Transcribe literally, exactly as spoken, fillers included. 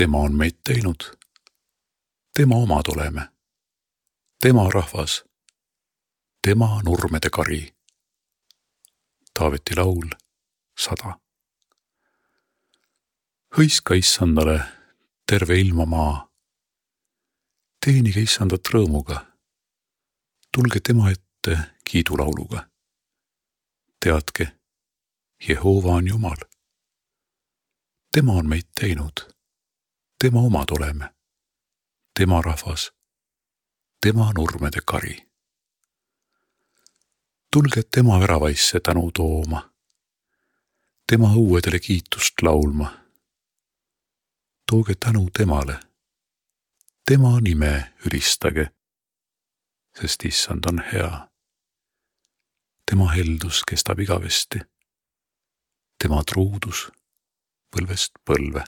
Tema on meid teinud. Tema omad oleme. Tema rahvas. Tema nurmede kari. Taaveti laul sada. Hõiska issandale terve ilma maa. Teenige issandat rõõmuga. Tulge tema ette kiidulauluga. Teadke, Jehova on Jumal. Tema on meid teinud. Tema omad oleme. Tema rahvas. Tema nurmede kari. Tulge tema väravaisse tänu tooma. Tema õuedele kiitust laulma. Tooge tänu temale. Tema nime ülistage, sest issand on hea. Tema heldus kestab igavesti. Tema truudus põlvest põlve.